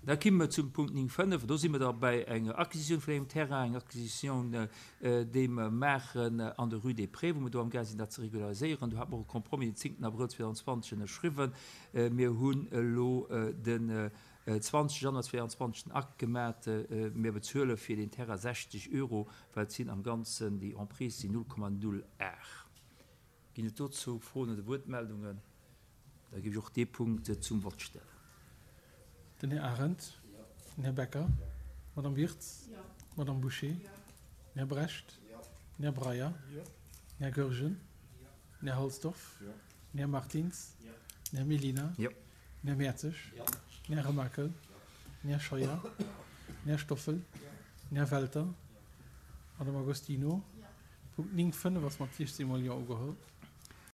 Da kimme mer zum Punkt 9,5. Do si mer da bei enger Acquisitioun vun engem Terrain, eng Acquisitioun, déi mer maachen an der Rue des Prés, wou mer do amgaang sinn, dat ze regulariséieren. Do hate mer och e Compromis den 10 Abrëll 2020 ënnerschriwwen. Mir hunn elo den 20 Januar 2022 den Akt gemat. Mir bezuele fir deen Terrain 60 Euro, well et sinn am Ganzen, déi Emprise sinn 0,08. Ginn et dozou Froen oder Wuertmeldungen? Da géif ech och dee Punkt zum Vott stellen. Den Här Arendt. Den Här Becker. D'Madame Wirtz. D'Madame Bouché. Den Här Brecht. Den Här Breyer. Den Här Goergen. Den Här Halsdorf. Den Här Martins. Den Här Mellina. Den Här Mertzig. Den Här Remakel. Den Här Scheuer. Den Här Stoffel. Den Här Welter. D'Madame Agostino. Punkt 9, 5 ass mat 16 mol Jo ugeholl.